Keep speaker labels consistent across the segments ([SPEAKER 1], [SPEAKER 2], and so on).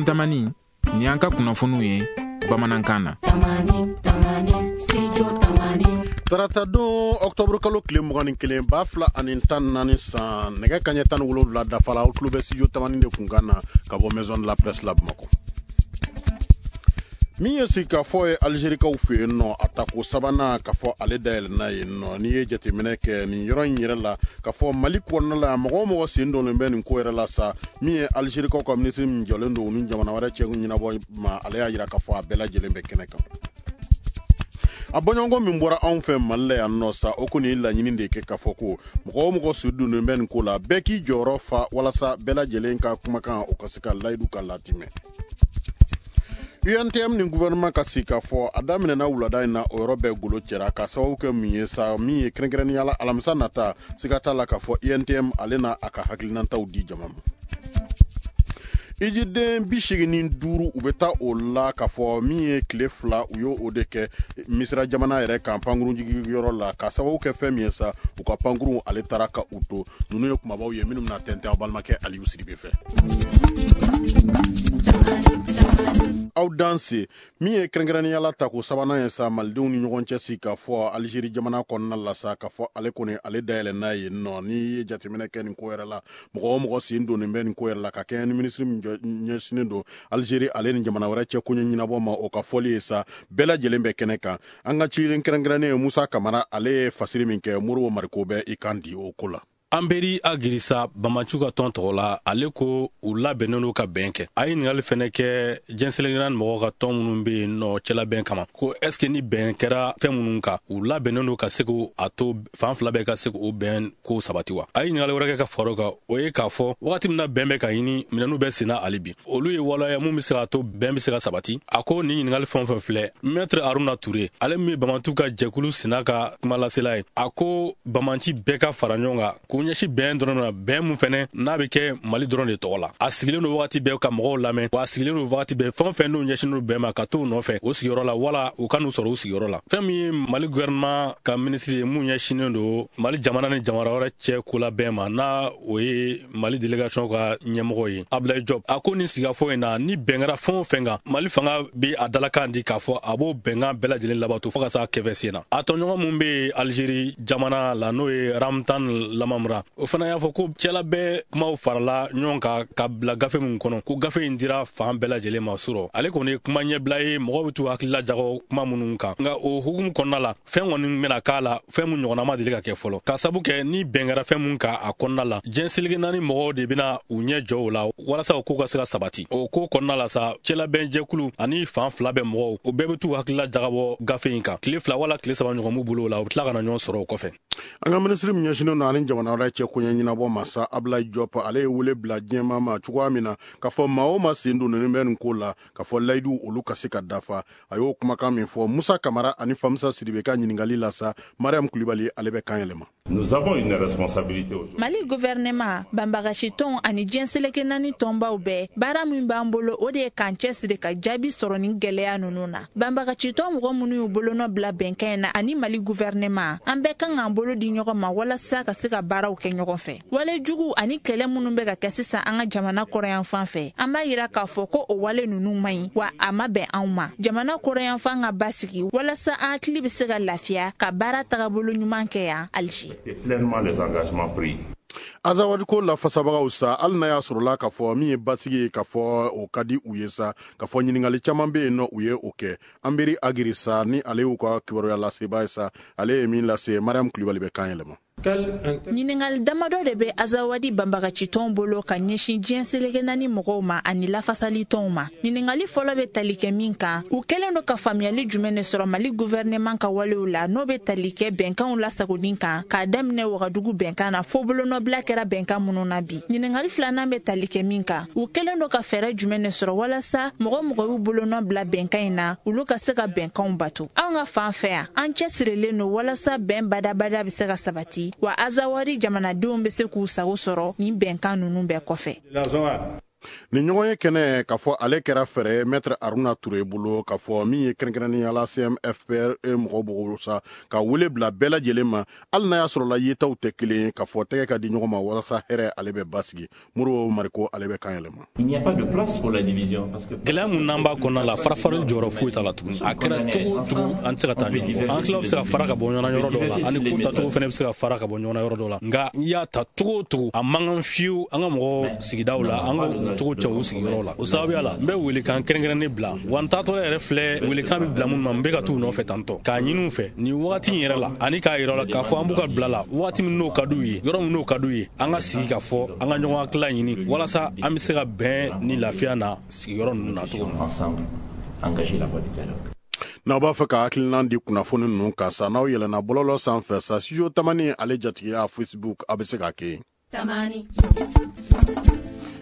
[SPEAKER 1] Tamani, nin y'an ka kunnafoniw ye bamanankan na.
[SPEAKER 2] Taratadon ɔkutɔburu kalo tile 21 2014 san, nɛgɛ kaɲɛ 17 dafara, aw tulo bɛ studio Tamani de kunkan na ka bɔ Maison de la Presse la Bamakɔ. Min ye sigikafɔ ye Alizerikaw fɛ yen nɔ, a tako sabanan ka fɔ ale dayɛlɛnna yen nɔ. N'i ye jateminɛ kɛ nin yɔrɔ in yɛrɛ la, ka fɔ Mali kɔnɔna la, mɔgɔ o mɔgɔ sen donnen bɛ nin ko yɛrɛ la sa, min ye Alizerikaw ka minisiri min jɔlen don u ni jamana wɛrɛ cɛ ɲɛnabɔ ma, ale y'a jira k'a fɔ a bɛɛ lajɛlen bɛ kɛnɛ kan. A bɔɲɔgɔnko min bɔra anw fɛ Mali la yan nɔ sa, o kɔni ye laɲini de kɛ k'a fɔ ko mɔgɔ o mɔgɔ sen donnen bɛ nin ko la, bɛɛ k'i jɔyɔrɔ fa walasa bɛɛ lajɛlen ka kumakan o ka se ka layidu ka latimɛ. UNTM ni gouvernement ka sigikafɔ a daminɛna wulada in na, o yɔrɔ bɛɛ golo cɛra ka sababu kɛ mun ye sa, min ye kɛrɛnkɛrɛnnenya la alamisa nata, siga t'a la k'a fɔ UNTM ale na a ka hakilinataw di jama ma. Ijiden 85, u bɛ taa o la k'a fɔ min ye tile 2, u y'o o de kɛ Misira jamana yɛrɛ kan pankurunjigiyɔrɔ la, ka sababu kɛ fɛn min ye sa, u ka pankurun ale taara ka u to. Ninnu ye kumabaw ye minnu bɛna tɛntɛn aw balimakɛ Aliyu Sidibe fɛ. Aw danse. Min ye kɛrɛnkɛrɛnnenya la tako sabanan ye sa, malidenw ni ɲɔgɔn cɛ sigikafɔ Alizeri jamana kɔnɔna la sa, k'a fɔ ale kɔni ale dayɛlɛnna yen nɔ. N'i ye jateminɛ kɛ nin ko yɛrɛ la, mɔgɔ o mɔgɔ sen donnen bɛ nin ko yɛrɛ la, ka kɛɲɛ ni minisiri min ɲɛsinnen don Alizeri ale ni jamana wɛrɛ cɛ koɲɛ ɲɛnabɔ ma, o ka fɔli ye sa, bɛɛ lajɛlen bɛ kɛnɛ kan. An ka ciden kɛrɛnkɛrɛnnen ye Musa Kamara, ale ye fasiri min kɛ, Moribo Mariko bɛ i kan di o ko la.
[SPEAKER 3] Anberi Ag Issa, banbaanciw ka tɔn tɔgɔ la, ale ko u labɛnnen don ka bɛn kɛ. A ye ɲininkali fɛnɛ kɛ diɲɛ seleke naani mɔgɔw ka tɔn minnu bɛ yen nɔ cɛlabɛn kama, ko est ce que ni bɛn kɛra fɛn minnu kan, u labɛnnen don ka se a to fan fila bɛɛ ka se k'o bɛn ko sabati wa? A ye ɲininkali wɛrɛ kɛ ka fara o kan, o ye k'a fɔ wagati min na bɛn bɛ ka ɲini, minɛnw bɛ senna hali bi, olu ye waleya mun bɛ se k'a to bɛn bɛ se ka sabati. A ko nin ɲininkali fɛn o fɛn filɛ, Maître Haruna Ture, ale min ye banbaanciw ka jɛkulu sina ka kumalasela ye, a ko banbaanci bɛɛ ka fara ɲɔgɔn kan k'u ɲɛsin bɛn dɔrɔn na, bɛn mun fɛnɛ n'a bɛ kɛ Mali dɔrɔn de tɔgɔ la. A sigilen don wagati bɛɛ ka mɔgɔw lamɛn, wa a sigilen don wagati bɛɛ fɛn o fɛn n'u ɲɛsinnen don bɛn ma, ka t'u nɔfɛ o sigiyɔrɔ la wala u ka n'u sɔrɔ u sigiyɔrɔ la. Fɛn min ye Mali gouvernement ka minisiri ye mun ɲɛsinnen don Mali jamana ni jamana wɛrɛ cɛ kolabɛn ma, n'a o ye Mali délégation ka ɲɛmɔgɔ ye Abdoulaye Diop, a ko nin sigikafɔ in na, ni bɛn kɛra fɛn o fɛn kan, Mali fanga bɛ a dalakan di k'a fɔ a b'o bɛnkan bɛɛ lajɛlen labato fo ka s'a kɛfɛ sen na. A tɔɲɔgɔn mun bɛ Algérie jamana la, n'o ye Ramtan Lamamra, o fana y'a fɔ ko cɛlabɛn kumaw farala ɲɔgɔn kan ka bila gafe min kɔnɔ, ko gafe in dira fan bɛɛ lajɛlen ma surɔ. Ale kɔni ye kuma ɲɛbila ye, mɔgɔw bɛ t'u hakilila jagɔ kuma minnu kan, nka o hukumu kɔnɔna la, fɛn kɔni bɛna k'a la, fɛn mun ɲɔgɔnna ma deli ka kɛ fɔlɔ, ka sabu kɛ ni bɛn kɛra fɛn mun kan a kɔnɔna la, diɲɛ seleke naani mɔgɔw de bɛna u ɲɛ jɔ o la walasa o ko ka se ka sabati. O ko kɔnɔna la sa, cɛlabɛnjɛkulu ani fan fila bɛɛ mɔgɔw, o bɛɛ bɛ t'u hakilila jagabɔ gafe in kan. Tile 2 wala tile 3 ɲɔgɔn b'u bolo o la, u bɛ tila ka na ɲɔgɔn sɔrɔ o kɔfɛ.
[SPEAKER 2] An ka minisiri min ɲɛsinnen don ani jamana wɛrɛ cɛ koɲɛ ɲɛnabɔ ma sa, Abdoulaye Diop, ale ye wele bila diɲɛmaa ma cogoya min na k'a fɔ maa o maa sen donnen bɛ nin ko la, k'a fɔ layidu olu ka se ka dafa. A y'o kumakan min fɔ Musa Kamara ani Famisa Sidibe ka ɲininkali la sa, Mariam Kulibali ale bɛ kan yɛlɛma.
[SPEAKER 4] Nous avons une responsabilité aujourd'hui.
[SPEAKER 5] Mali gouvernement, banbagacitɔnw ani diɲɛ seleke naani tɔnbaw bɛɛ, baara min b'an bolo, o de ye k'an cɛsiri ka jaabi sɔrɔ nin gɛlɛya ninnu na. Banbagacitɔn mɔgɔ minnu y'u bolonɔ bila bɛnkan in na ani Mali gouvernement, an bɛɛ kan k'an bolo di ɲɔgɔn ma walasa ka se ka baaraw kɛ ɲɔgɔn fɛ. Wale jugu ani kɛlɛ minnu bɛ ka kɛ sisan an ka jamana kɔrɔyanfan fɛ, an b'a yira k'a fɔ ko o wale ninnu man ɲi, wa a ma bɛn anw ma. Jamana kɔrɔyanfan ka basigi walasa an hakili bɛ se ka lafiya ka baara tagabolo ɲuman kɛ yan Alger.
[SPEAKER 4] Pleinement les engagements pris.
[SPEAKER 2] Azawadi ko lafasabagaw sa, hali n'a y'a sɔrɔla k'a fɔ min ye basigi ye, k'a fɔ o ka di u ye sa, k'a fɔ ɲininkali caman bɛ yen nɔ, u ye o kɛ. Anberi Ag Issa, ni ale y'u ka kibaruya lasebaa ye sa, ale ye min lase, Mariam Kulibali bɛ kan yɛlɛma.
[SPEAKER 5] Ɲininkali damadɔ de bɛ Azawadi banbagacitɔnw bolo ka ɲɛsin diɲɛ seleke naani mɔgɔw ma ani lafasalitɔnw ma. Ɲininkali fɔlɔ bɛ tali kɛ min kan, u kɛlen don ka faamuyali jumɛn de sɔrɔ Mali gouvernement ka walew la, n'o bɛ tali kɛ bɛnkanw lasagoni kan, k'a daminɛ Wagadugu bɛnkan na fo bolonɔbila kɛra bɛnkan minnu na bi. Ɲininkali filanan bɛ tali kɛ min kan, u kɛlen don ka fɛɛrɛ jumɛn de sɔrɔ walasa mɔgɔ mɔgɔ y'u bolonɔ bila bɛnkan in na, olu ka se ka bɛnkanw bato. Anw ka fan fɛ yan, an cɛsirilen don walasa bɛn badabada bɛ se ka sabati, wa Azawadi jamanadenw bɛ se k'u sago sɔrɔ nin bɛnkan ninnu bɛɛ kɔfɛ.
[SPEAKER 2] Nin ɲɔgɔn ye kɛnɛ k'a fɔ ale kɛra fɛɛrɛ ye Maître Haruna Ture bolo, k'a fɔ min ye kɛrɛnkɛrɛnnenya la CMFPR mɔgɔw bolo sa, ka wele bila bɛɛ lajɛlen ma, hali n'a y'a sɔrɔ la yetaw tɛ kelen ye, k'a fɔ tɛgɛ ka di ɲɔgɔn ma walasa hɛrɛ ale bɛ basigi. Modibo Mariko ale bɛ kan yɛlɛma.
[SPEAKER 6] Il n'y a pas de place pour la division parce que
[SPEAKER 3] gɛlɛya mun n'an b'a kɔnɔna la, farafarali jɔyɔrɔ foyi t'a la tuguni. A kɛra cogo o cogo, an tɛ se ka taa ɲɔgɔn kɔ. An tilaw bɛ se ka fara ka bɔ ɲɔgɔn na yɔrɔ dɔw la, ani ko tacogo fana bɛ se ka fara ka bɔ ɲɔgɔn na yɔrɔ dɔw la. Nka n'i y'a ta cogo o cogo, a man kan fiyewu an ka mɔgɔw sigidaw la, an ka cogo cɛ u sigiyɔrɔ la. O sababuya la, n bɛ welekan kɛrɛnkɛrɛnnen bila wa n taatɔ yɛrɛ filɛ, welekan bɛ bila minnu ma, n bɛ ka t'u nɔfɛ tantɔ k'a ɲini u fɛ nin wagati in yɛrɛ la, ani k'a yira la k'a fɔ an b'u ka bila la wagati min n'o ka d'u ye, yɔrɔ min n'o ka d'u ye, an ka sigi ka fɔ, an ka ɲɔgɔn hakilila ɲini walasa an bɛ se ka bɛn ni lafiya na sigiyɔrɔ ninnu na cogo min.
[SPEAKER 6] Ensemble, engager la voie du dialogue.
[SPEAKER 2] N'aw b'a fɛ ka hakilinan di kunnafoni ninnu kan sa, n'aw yɛlɛnna bɔlɔlɔ sanfɛ sa, Studio Tamani ale jatigiya Facebook, a bɛ se ka kɛ.
[SPEAKER 7] Tamani.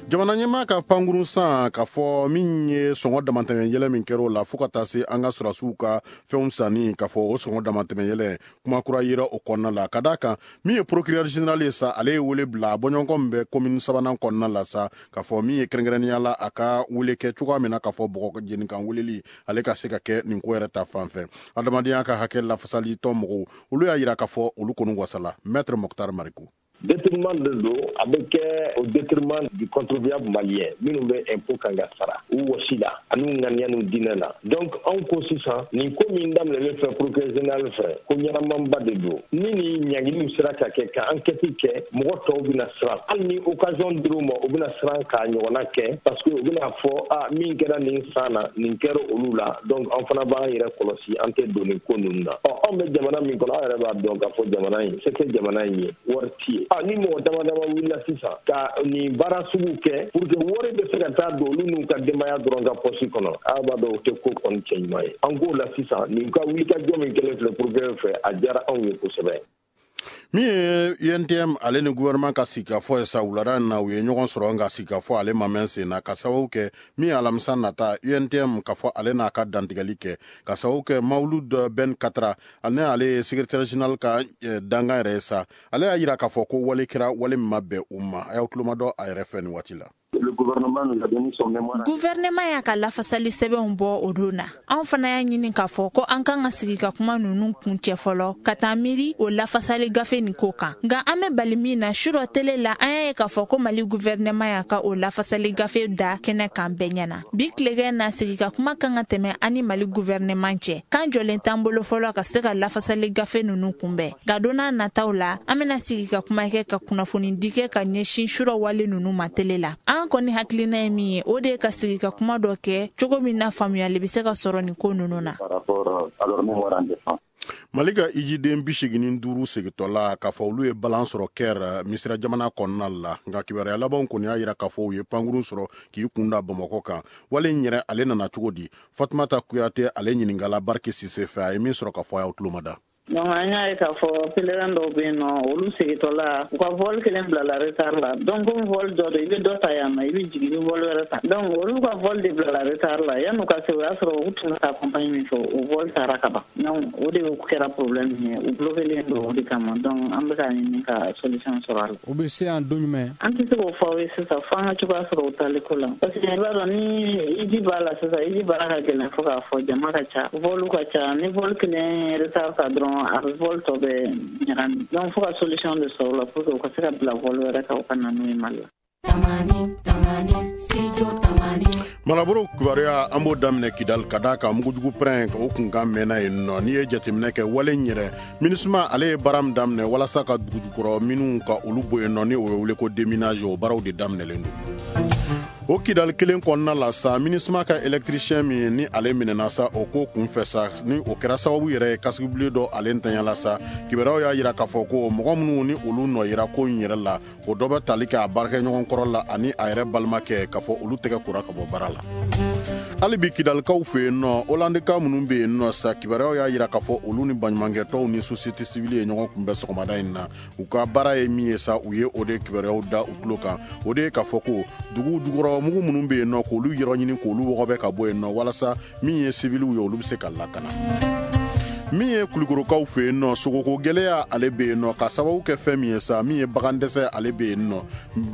[SPEAKER 2] Jamana ɲɛmaa ka pankurun san, k'a fɔ min ye sɔngɔ damatɛmɛ yɛlɛ min kɛra o la, fo ka taa se an ka sɔrɔdasiw ka fɛnw sanni, k'a fɔ o sɔngɔ damatɛmɛ yɛlɛ kuma kura yera o kɔnɔna la, ka d'a kan min ye procureur général ye sa, ale ye wele bila bɔɲɔgɔnkɔ min bɛ commune sabanan kɔnɔna la sa, k'a fɔ min ye kɛrɛnkɛrɛnnenya la a ka wele kɛ cogoya min na, k'a fɔ bɔgɔ jenikan weleli ale ka se ka kɛ nin ko yɛrɛ ta fan fɛ. Adamadenya ka hakɛ lafasali tɔn mɔgɔw, olu y'a yira k'a fɔ olu kɔni wasala. Maître Mokhtar Mariko.
[SPEAKER 8] Détournement de don, a bɛ kɛ au détriment du contribuable malien minnu bɛ impôt kan ka sara u wɔsi la ani u ŋaniya n'u diinɛ la. Donc anw ko sisan, nin ko min daminɛlen fɛ procureur général fɛ, ko ɲɛnamanba de don. Ni nin ɲangiliw sera ka kɛ, ka enquête kɛ, mɔgɔ tɔw bɛna siran. Hali ni occasion dir'u ma, u bɛna siran k'a ɲɔgɔnna kɛ, parce que u bɛna fɔ a min kɛra nin san na, nin kɛra olu la, donc an fana b'an yɛrɛ kɔlɔsi, an tɛ don nin ko ninnu na. Ɔ, anw bɛ jamana min kɔnɔ, aw yɛrɛ b'a dɔn k'a fɔ jamana in se tɛ jamana in ye, wari ti ye. A ni mɔgɔ dama dama wulila sisan ka nin baara sugu kɛ pour que wari bɛ se ka taa don olu n'u ka denbaya dɔrɔn ka poche kɔnɔ, aw b'a dɔn o tɛ ko kɔni cɛ ɲuman ye. An k'o la sisan, nin ka wulikajɔ min kɛlen filɛ procureur fɛ, a diyara anw ye kosɛbɛ.
[SPEAKER 2] Min ye UNTM ale ni gouvernement ka sigikafɔ ye sa, wulada in na u ye ɲɔgɔn sɔrɔ, nka sigikafɔ ale ma mɛn sen na, ka sababu kɛ min ye alamisa nata UNTM k'a fɔ ale n'a ka dantigɛli kɛ, ka sababu kɛ Mawulud Ben Katra ale ale ye secrétaire général ka dankan yɛrɛ ye sa, ale y'a yira k'a fɔ ko wale kɛra wale min ma bɛn u ma. A y'aw tulomadɔ a yɛrɛ fɛ nin waati la.
[SPEAKER 5] Gouvernement y'a ka lafasali sɛbɛnw bɔ o don na. Anw fana y'a ɲini k'a fɔ ko an kan ka sigi ka kuma ninnu kun cɛ fɔlɔ, ka taa miiri o lafasali gafe nin ko kan. Nka an bɛ bali min na, surɔ tele la, an y'a ye k'a fɔ ko Mali gouvernement y'a ka o lafasali gafe da kɛnɛ kan bɛɛ ɲɛna. Bi tilegɛn na, sigi ka kuma kan ka tɛmɛ an ni Mali gouvernement cɛ. Kan jɔlen t'an bolo fɔlɔ ka se ka lafasali gafe ninnu kunbɛn, nka don n'a nataw la, an bɛna sigi ka kuma kɛ, ka kunnafoni di kɛ ka ɲɛsin surɔ wale ninnu ma tele la. An kɔni hakilina ye min ye, o de ye ka sigi ka kuma dɔ kɛ cogo min na faamuyali bɛ se ka sɔrɔ nin ko ninnu na.
[SPEAKER 2] Mali ka ijiden 85 segintɔla, k'a fɔ olu ye balan sɔrɔ Kɛr, Misira jamana kɔnɔna la. Nka kibaruya labanw kɔni y'a yira k'a fɔ u ye pankurun sɔrɔ k'i kun da Bamakɔ kan. Wale in yɛrɛ ale nana cogo di? Fatumata Kuyate ale ɲininkala Bariki Sise fɛ, a ye min sɔrɔ k'a fɔ, a y'aw tulomada.
[SPEAKER 9] Donc an y'a ye k'a fɔ pèlerin dɔw bɛ yen nɔ, olu segintɔla, u ka vol kelen bilala retard la. Donc comme vol dɔ don, i bɛ dɔ ta yan nɔ, i bɛ jigin, i bɛ vol wɛrɛ ta. Donc olu ka vol de bilala retard la. Yan'u ka se, o y'a sɔrɔ u tun bɛ ka compagnie min fɛ, o vol taara ka ban. Donc o de kɛra problème ye, u bloqué don o de kama. Donc an bɛ k'a ɲini ka solution sɔrɔ a la.
[SPEAKER 10] U bɛ se yan don jumɛn?
[SPEAKER 9] An tɛ se k'o fɔ aw ye sisan, fo an ka cogoya sɔrɔ u taali ko la, parce que i b'a dɔn ni hiji b'a la sisan, hiji baara ka gɛlɛn fo k'a fɔ, jama ka ca, vol ka ca. Ni vol kelen retard ta dɔrɔn, a bɛ vol tɔ bɛ ɲagami. Donc fo ka solution de sɔrɔ o la pour que u ka se ka bila vol wɛrɛ kan, u ka na n'u ye Mali la.
[SPEAKER 2] Marabolo kibaruya, an b'o daminɛ Kidali, ka d'a kan mugujugu pɛrɛn o kunkan mɛnna yen nɔ. N'i ye jateminɛ kɛ, wale in yɛrɛ, MINUSMA ale ye baara min daminɛ walasa ka dugujukɔrɔ minnu ka olu bɔ yen nɔ, ni o ye wele ko déminage, o baaraw de daminɛlen don o Kidali kelen kɔnɔna la sa. MINUSMA ka électricien min ni ale minɛna sa, o ko kunfɛ sa, ni o kɛra sababu yɛrɛ ye kasigibilen dɔ ale ntanyala sa, kibaruyaw y'a yira k'a fɔ ko mɔgɔ minnu ni olu nɔ yira ko in yɛrɛ la, o dɔ bɛ tali kɛ a baarakɛɲɔgɔn kɔrɔ la ani a yɛrɛ balimakɛ, k'a fɔ olu tɛgɛ kora ka bɔ baara la. Hali bi Kidalikaw fɛ yen nɔ, Holandika minnu bɛ yen nɔ sa, kibaruyaw y'a yira k'a fɔ olu ni baɲumankɛtɔnw ni société civile ye ɲɔgɔn kunbɛn sɔgɔmada in na. U ka baara ye min ye sa, u ye o de kibaruyaw da u tulo kan. O de ye k'a fɔ ko dugu jukɔrɔ mugu minnu bɛ yen nɔ, k'olu yɔrɔ ɲini, k'olu wɔgɔbɛ ka bɔ yen nɔ, walasa min ye civiliw ye, olu bɛ se ka lakana. Min ye Kulukorokaw fɛ yen nɔ, sogoko gɛlɛya ale bɛ yen nɔ, ka sababu kɛ fɛn min ye sa, min ye bagan dɛsɛ ale bɛ yen nɔ.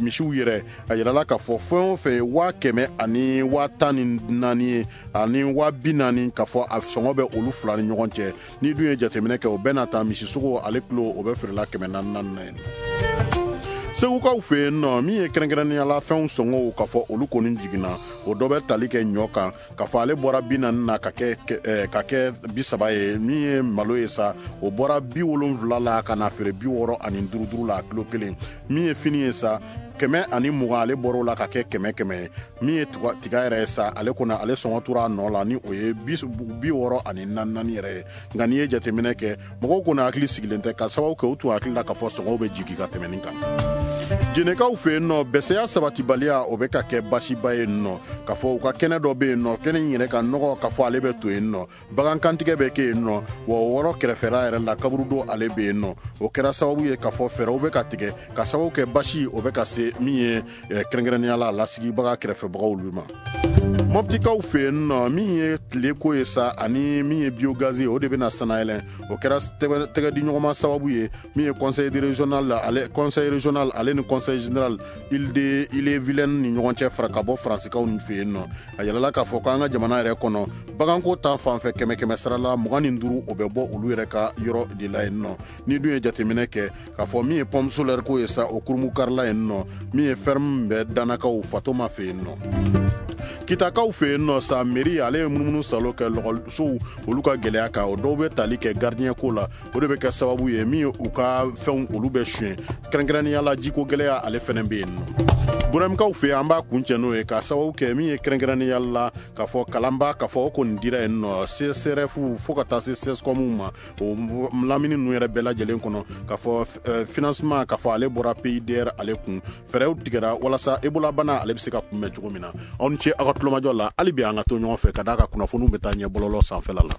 [SPEAKER 2] Misiw yɛrɛ, a yirala k'a fɔ fɛn o fɛn ye 100,000 ani 14,000 ye ani 40,000, k'a fɔ a sɔngɔ bɛ olu fila ni ɲɔgɔn cɛ. N'i dun ye jateminɛ kɛ, o bɛɛ n'a ta, misisogo ale kilo o bɛ feerela 400 na yen. Segukaw fɛ yen nɔ, min ye kɛrɛnkɛrɛnnenya la fɛnw sɔngɔw, k'a fɔ olu kɔni jiginna. O dɔ bɛ tali kɛ ɲɔ kan, k'a fɔ ale bɔra 40 na ka kɛ 30 ye. Min ye malo ye sa, o bɔra 70 la ka na feere 65 duuru la kilo kelen. Min ye fini ye sa, 120, ale bɔr'o la ka kɛ 100 100 ye. Min ye tiga yɛrɛ ye sa, ale kɔni ale sɔngɔ tora a nɔ la, ni o ye 64 yɛrɛ ye. Nka n'i ye jateminɛ kɛ, mɔgɔw kɔni hakili sigilen tɛ, ka sababu kɛ u tun hakili la k'a fɔ sɔngɔw bɛ jigin ka tɛmɛ nin kan. Jenekaw fɛ yen nɔ, bɛsɛya sabatibaliya o bɛ ka kɛ basiba ye nɔ, k'a fɔ u ka kɛnɛ dɔ bɛ yen nɔ, kɛnɛ in yɛrɛ ka nɔgɔ, k'a fɔ ale bɛ to yen nɔ, bagan kantigɛ bɛ kɛ yen nɔ, wa o yɔrɔ kɛrɛfɛla yɛrɛ la, kaburudo ale bɛ yen nɔ. O kɛra sababu ye k'a fɔ fɛɛrɛw bɛ ka tigɛ, ka sababu kɛ basi o bɛ ka se min ye kɛrɛnkɛrɛnnenya la lasigibaga kɛrɛfɛbagaw olu ma. Mɔptikaw fɛ yen nɔ, min ye tileko ye sa ani min ye biogaz ye, o de bɛna sanayɛlɛn. O kɛra tɛgɛ di ɲɔgɔnma sababu ye, min ye conseil régional ale, conseil régional ale ni conseil général Ille de Ille-et-Vilaine ni ɲɔgɔn cɛ, fara ka bɔ Faransikaw fɛ yen nɔ. A yɛlɛla k'a fɔ k'an ka jamana yɛrɛ kɔnɔ, baganko ta fanfɛ, kɛmɛ kɛmɛ sara la 25, o bɛ bɔ olu yɛrɛ ka yɔrɔ de la yen nɔ. Ni dun ye jateminɛ kɛ, k'a fɔ min ye pompe solaire ko ye sa, o kurumu-karila yen nɔ, min ye ferme bɛ Danakaw Fatoma fɛ yen nɔ. Kitakaw fɛ yen nɔ sa, mairie ale ye munumunu salo kɛ lɔgɔsow olu ka gɛlɛya kan. O dɔw bɛ tali kɛ gardien ko la, o de bɛ kɛ sababu ye min ye u ka fɛnw olu bɛ suɲɛ. Kɛrɛnkɛrɛnnenya la, jiko gɛlɛya ale fɛnɛ bɛ yen nɔ Burɛmkaw fɛ yen. An b'a kuncɛ n'o ye, ka sababu kɛ min ye kɛrɛnkɛrɛnnenya la k'a fɔ kalanba, k'a fɔ o kɔni dira yen nɔ CSRF fo ka taa se CSCOM ma, o lamini ninnu yɛrɛ bɛɛ lajɛlen kɔnɔ, k'a fɔ financement, k'a fɔ ale bɔra PIDR ale kun. Fɛɛrɛw tigɛra walasa Ebola bana ale bɛ se ka kunbɛn cogo min na. Aw ni ce aw ka tulomajɔ la. Hali bi an ka to ɲɔgɔn fɛ, ka d'a ka kunnafoniw bɛ taa ɲɛ bɔlɔlɔ sanfɛla la.